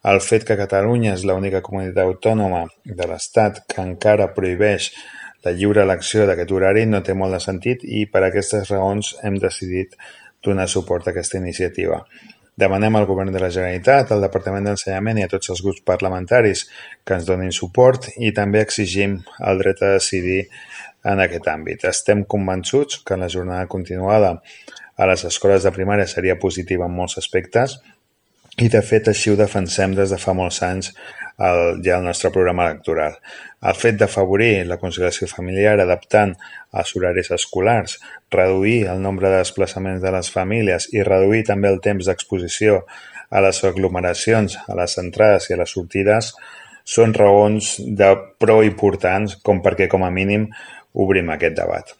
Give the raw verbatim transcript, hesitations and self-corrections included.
el fet que Catalunya és l'única comunitat autònoma de l'Estat que encara prohibeix la lliure elecció d'aquest horari no té molt de sentit i per aquestes raons hem decidit donar suport a aquesta iniciativa. Demanem al Govern de la Generalitat, al Departament d'Ensenyament i a tots els grups parlamentaris que ens donin suport i també exigim el dret a decidir en aquest àmbit. Estem convençuts que la jornada continuada a les escoles de primària seria positiva en molts aspectes i de fet així ho defensem des de fa molts anys el, ja el nostre programa electoral. El fet d'afavorir la conciliació familiar adaptant els horaris escolars, reduir el nombre de desplaçaments de les famílies i reduir també el temps d'exposició a les aglomeracions, a les entrades i a les sortides són raons de prou importants com perquè com a mínim obrim aquest debat.